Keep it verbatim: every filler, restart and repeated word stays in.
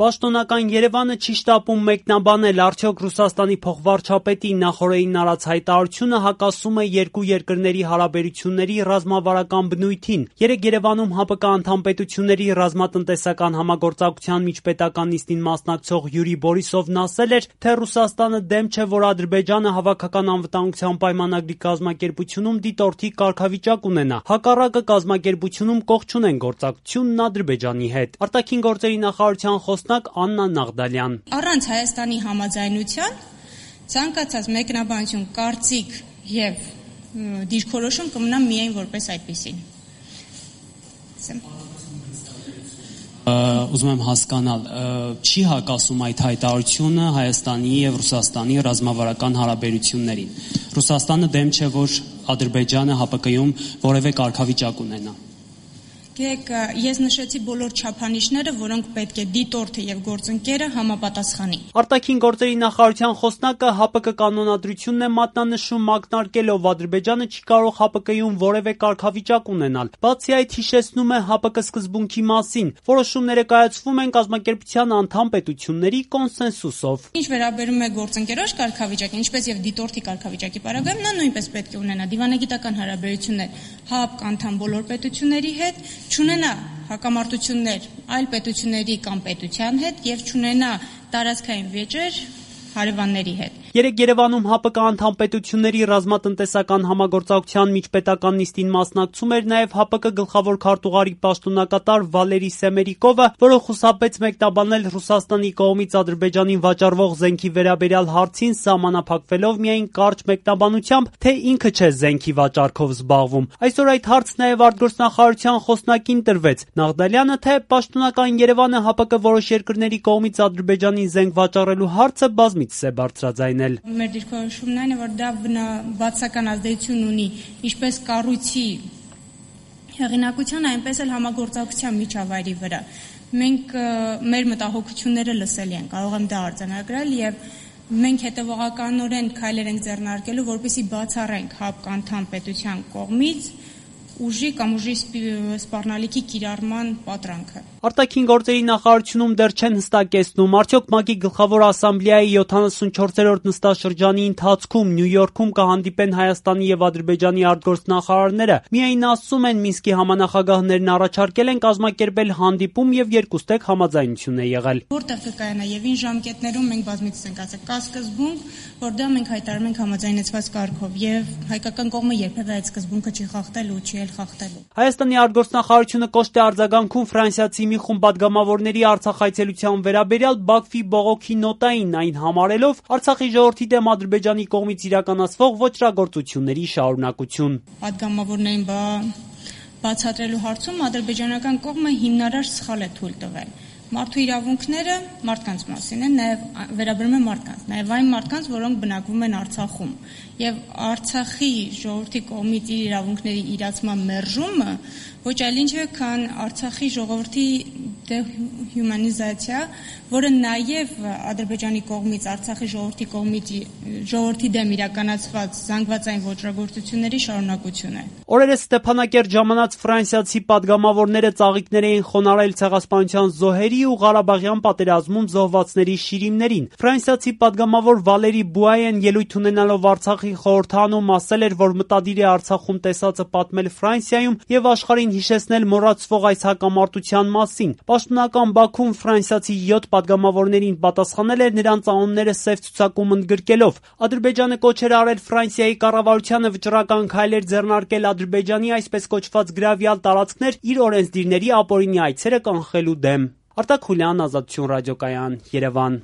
Պաշտոնական Երևանը չի շտապում մեկնաբանել, արդյոք Ռուսաստանի փոխվարչապետի նախօրեին արած հայտարարությունը հակասում է երկու երկրների հարաբերությունների ռազմավարական բնույթին։ Երեկ Երևանում ՀԱՊԿ անդամ պետությունների ռազմատնտեսական համագործակցության միջպետական նիստին մասնակցող Յուրի Բորիսովն ասել էր, թե Ռուսաստանը դեմ չէ, որ Ադրբեջանը հավաքական անվտանգության պայմանագրի կազմակերպությունում դիտորդի կարգավիճակ ունենա։ Հակառակը կազմակերպությունում կողք չունեն գործակցությունն Ադրբեջանի հետ։ Արտաքին գործերի նախարարության խոսնակ Աննա Նաղդալյան. Առանց Հայաստանի համաձայնության ցանկացած մեկնաբանություն, կարծիք եւ դիրքորոշում կմնա միայն որպես այդպեսին։ Ուզում եմ հասկանալ, չի հակասում այդ հայտարարությունը Հայաստանի եւ Ռուսաստանի ռազմավարական հարաբերություններին։ Ռուսաստանը դեմ չէ, որ Ադրբեջանը ՀԱՊԿ-ում որևէ կարգավիճակ ունենա։ Գիտեք, ես նշեցի բոլոր չափանիշները, որոնք պետք է դիտորդը եւ գործընկերը համապատասխանի։ Արտաքին գործերի նախարարության խոսնակը ՀԱՊԿ կանոնադրությունն է մատնանշում, ակնարկելով Ադրբեջանը չի կարող ՀԱՊԿ-ում որևէ կարգավիճակ ունենալ։ Բացի այդ, հիշեցնում է ՀԱՊԿ սկզբունքի մասին, որոշումները կայացվում են կազմակերպության անդամ պետությունների կոնսենսուսով։ Ինչ վերաբերում է գործընկերոջ կարգավիճակին, ինչպես եւ դիտորդի կարգավիճակի պարագայում, նա նույնպես պետք է ունենա դիվանագիտական հարաբերություններ ՀԱՊԿ անդամ բոլոր պետությունների հետ, չունենա հակամարտություններ այլ պետությունների կամ պետության հետ եւ չունենա տարածքային վեճեր հարևանների հետ։ Երեկ Երևանում ՀԱՊԿ անդամ պետությունների ռազմատնտեսական համագործակցության միջպետական նիստին մասնակցում էր նաև ՀԱՊԿ գլխավոր քարտուղարի պաշտոնակատար Վալերի Սեմերիկովը, որը խուսափեց մեկնաբանել Ռուսաստանի կողմից Ադրբեջանին վաճառվող զենքի վերաբերյալ հարցին, սահմանափակվելով միայն կարճ մեկնաբանությամբ, թե ինքը չէ զենքի վաճառքով զբաղվում։ Այսօր այդ հարցը նաև արտգործնախարարության խոսնակին տրվեց։ Նաղդալյանը, թե պաշտոնական Երևանը ՀԱՊԿ որոշ երկրների կողմից Ադրբեջանին զենք վաճառելու հարցը բազմիցս է բարձրաձայնել։ Մեր դիրքորոշումն այն է, որ դա բացական ազդեցություն ունի ինչպես կառույցի հեղինակության, այնպես էլ համագործակցության միջավայրի վրա։ Մենք մեր մտահոգությունները լսելի են, կարող եմ դա արձանագրել եւ մենք հետևողականորեն քայլեր ենք ձեռնարկելու, որպեսզի բացառենք ՀԱՊԿ անդամ պետության կողմից ուժի կամ ուժի սպառնալիքի կիրառման պատրանքը։ Արտաքին գործերի նախարարությունում դեռ չեն հստակեցնում, արդյոք ՄԱԿ-ի գլխավոր ասամբլեայի յոթանասունչորսերորդ նստաշրջանի ընթացքում Նյու Յորքում կհանդիպեն Հայաստանի եւ Ադրբեջանի արտգործնախարարները։ Միայն ասում են Մինսկի համանախագահներն առաջարկել են կազմակերպել հանդիպում եւ երկուստեք համաձայնություն է եղել։ Որտեղ կկայանա եւ ինչ ժամկետներում մենք բազմիցս ենք ասել, կա սկզբունք, որ դա մենք հայտարարում ենք համաձայնեցված կարգով եւ հայկական կողմը երբեւե այդ սկզբունքը չի խախտել ու չի խախտելու։ Հայաստանի արտգործնախարարությունը կոշտ է արձագանքում ֆրանսիացի մի խումբ պատգամավորների Արցախ այցելության վերաբերյալ Բաքվի բողոքի նոտային, այն համարելով Արցախի ժողովրդի դեմ Ադրբեջանի կողմից իրականացվող ոճրագործությունների շարունակություն։ Պատգամավորներին բա բացատրելու հարցում ադրբեջանական կողմը հիմնարար սխալ է թույլ տվել։ Մարդու իրավունքները մարդկանց մասին են, նաև վերաբերում են մարդկանց, նաև այն մարդկանց, որոնք բնակվում են Արցախում, եւ Արցախի ժողովրդի կողմից իր իրավունքների իրացման մերժումը ոչ այլ ինչ է, քան Արցախի ժողովրդի դեհյումանիզացիա, որը նաև Ադրբեջանի կողմից Արցախի ժողովրդի կողմից ժողովրդի դեմ իրականացված զանգվածային ոճրագործությունների շարունակություն է։ Օրերս Ստեփանակերտ ժամանած ֆրանսիացի պատգամավորները ծաղիկներ էին խոնարհել ցեղասպանության զոհերի ու Ղարաբաղյան պատերազմում զոհվածների շիրիմներին։ Ֆրանսիացի պատգամավոր Վալերի Բուայեն ելույթ ունենալով Արցախի խորհրդանում ասել էր, որ մտադիր է Արցախում տեսածը պատմել Ֆրանսիայում եւ աշխարհին հիշեցնել մոռացվող այս հակամարտության մասին։ Պաշտոնական Բաքուն ֆրանսիացի յոթ պատգամավորներին պատասխանել էր նրանց անունները սև ցուցակում ընդգրկելով։ Ադրբեջանը կոչ էր արել Ֆրանսիայի կառավարությանը վճռական քայլեր ձեռնարկել Ադրբեջանի այսպես կոչված գրավյալ տարածքներ իր օրենսդիրների ապօրինի այցերը կանխելու դեմ։ Արտակ Խուլյան, Ազատություն ռադիոկայան, Երևան։